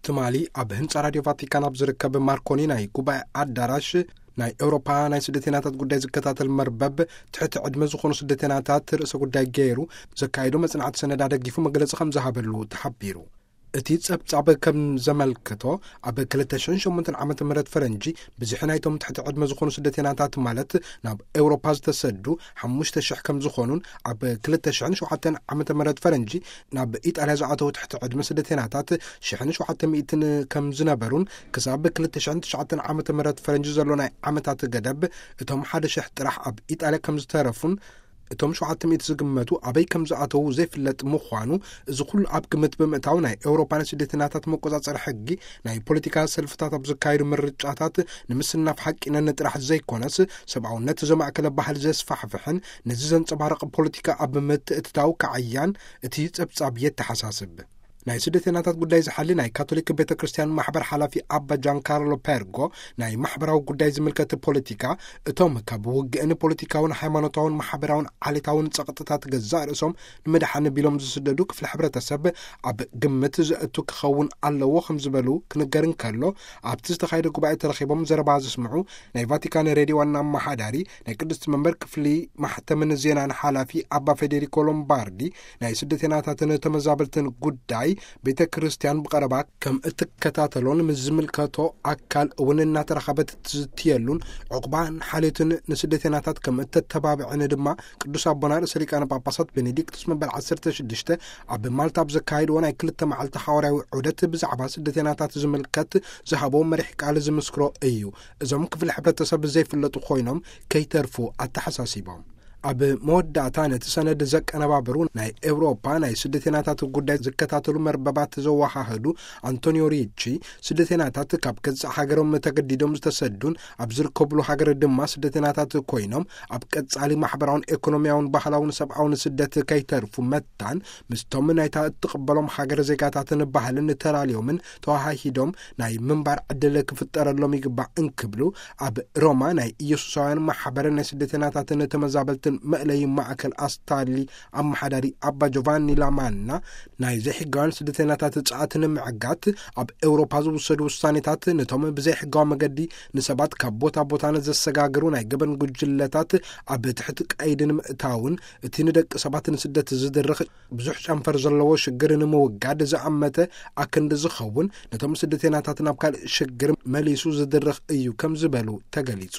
ትማሊ ኣብ ህንጻ ራድዮ ቫቲካን ኣብ ዝርከብ ማርኮኒ ናይ ጉባኤ ኣዳራሽ፣ ናይ ኤውሮፓ ናይ ስደተኛታት ጉዳይ ዝከታተል መርበብ፣ ትሕቲ ዕድመ ዝኾኑ ስደተኛታት ርእሰ ጉዳይ ገይሩ ዘካየዶ መጽናዕቲ ሰነድ ኣደጊፉ መግለጺ ከም ዝሃበሉ ተሓቢሩ። እቲ ጸብጻብ ከም ዘመልክቶ፣ ኣብ ክልተ ሽሕን ሸሞንተን ዓመተ ምህረት ፈረንጂ፣ ብዝሒ ናይቶም ትሕቲ ዕድመ ዝኾኑ ስደተኛታት፣ ማለት ናብ ኤውሮፓ ዝተሰዱ፣ ሓሙሽተ ሽሕ ከም ዝኾኑን፣ ኣብ ክልተ ሽሕን ሸውዓተን ዓመተ ምህረት ፈረንጂ፣ ናብ ኢጣልያ ዝኣተዉ ትሕቲ ዕድመ ስደተኛታት፣ ሽሕን ሸውዓተ ሚእትን ከም ዝነበሩን፣ ክሳብ ክልተ ሽሕን ትሽዓተን ዓመተ ምህረት ፈረንጂ ዘሎ ናይ ዓመታት ገደብ፣ እቶም ሓደ ሽሕ ጥራሕ ኣብ ኢጣልያ ከም ዝተረፉን፣ እቶም ሸውዓተ ሚእቲ ዝግመቱ ኣበይ ከም ዝኣተዉ ዘይፍለጥ ምዃኑ፣ እዚ ኩሉ ኣብ ግምት ብምእታው፣ ናይ ኤውሮፓ ናይ ስደተኛታት መቆጻጸሪ ሕጊ፣ ናይ ፖለቲካ ሰልፍታት ኣብ ዘካየዱ ምርጫታት ንምስናፍ ሓቂነን ጥራሕ ዘይኮነስ፣ ሰብኣውነት ዘማእከለ ባህሊ ዘስፋሕፍሕን ነዚ ዘንጸባርቕ ፖለቲካ ኣብ ምትእትታው ከዓያን እቲ ጸብጻብ የተሓሳስብ። ናይ ስደተኛታት ጉዳይ ዝሓሊ ናይ ካቶሊክ ቤተ ክርስቲያን ማሕበር ሓላፊ ኣባ ጃን ካርሎ ፔርጎ፣ ናይ ማሕበራዊ ጉዳይ ዝምልከት ፖለቲካ፣ እቶም ካብ ውግእን ፖለቲካውን ሃይማኖታውን ማሕበራውን ዓሌታውን ጸቕጥታት ገዛእ ርእሶም ንምድሓን ቢሎም ዝስደዱ ክፍሊ ሕብረተሰብ ኣብ ግምት ዘእቱ ክኸውን ኣለዎ ከም ዝበሉ ክንገር እንከሎ፣ ኣብቲ ዝተኻየደ ጉባኤ ተረኺቦም ዘረባ ዘስምዑ ናይ ቫቲካን ሬድዮ ዋና ኣመሓዳሪ፣ ናይ ቅድስቲ መንበር ክፍሊ ማሕተምን ዜናን ሓላፊ ኣባ ፌዴሪኮ ሎምባርዲ፣ ናይ ስደተኛታትን ተመዛበልትን ጉዳይ ቤተ ክርስቲያን ብቐረባ ከም እትከታተሎን ምስ ዝምልከቶ ኣካል እውን እናተራኸበት እትዝትየሉን ዕቑባን ሓልዮትን ንስደተኛታት ከም እተተባብዕን ድማ ቅዱስ ኣቦና ርእሰ ሊቃነ ጳጳሳት ቤኔዲክቱስ መበል ዓሰርተ ሽዱሽተ ኣብ ማልታ ኣብ ዘካየድዎ ናይ ክልተ መዓልቲ ሓዋርያዊ ዑደት ብዛዕባ ስደተኛታት ዝምልከት ዝሃቦ መሪሕ ቃል ዝምስክሮ እዩ። እዞም ክፍሊ ሕብረተሰብ ዘይፍለጡ ኮይኖም ከይተርፉ ኣተሓሳሲቦም። ኣብ መወዳእታ ነቲ ሰነድ ዘቀነባበሩ ናይ ኤውሮፓ ናይ ስደተኛታት ጉዳይ ዝከታተሉ መርበባት ዘወሃህዱ ኣንቶኒዮ ሪቺ፣ ስደተኛታት ካብ ገዛእ ሃገሮም ተገዲዶም ዝተሰዱን ኣብ ዝርከብሉ ሃገር ድማ ስደተኛታት ኮይኖም ኣብ ቀጻሊ ማሕበራውን ኤኮኖሚያውን ባህላውን ሰብኣውን ስደት ከይተርፉ መታን ምስቶም ናይታ እትቕበሎም ሃገር ዜጋታትን ባህልን ተላልዮምን ተዋሃሂዶም ናይ ምንባር ዕድል ክፍጠረሎም ይግባእ እንክብሉ፣ ኣብ ሮማ ናይ ኢየሱሳውያን ማሕበርን ናይ ስደተኛታትን ተመዛበልትን መእለዪ ማእከል ኣስታሊ ኣመሓዳሪ ኣባ ጆቫኒ ላማና፣ ናይ ዘይሕጋውያን ስደተኛታት ጸኣት ንምዕጋት ኣብ ኤውሮፓ ዝውሰዱ ውሳኔታት፣ ነቶም ብዘይሕጋዊ መገዲ ንሰባት ካብ ቦታ ቦታ ንዘሰጋግሩ ናይ ገበን ጉጅለታት ኣብ ትሕቲ ቀይዲ ንምእታውን፣ እቲ ንደቂ ሰባት ንስደት ዝድርኽ ብዙሕ ጨንፈር ዘለዎ ሽግር ንምውጋድ ዝኣመተ ኣክንዲ ዝኸውን፣ ነቶም ስደተኛታት ናብ ካልእ ሽግር መሊሱ ዝድርኽ እዩ ከም ዝበሉ ተገሊጹ።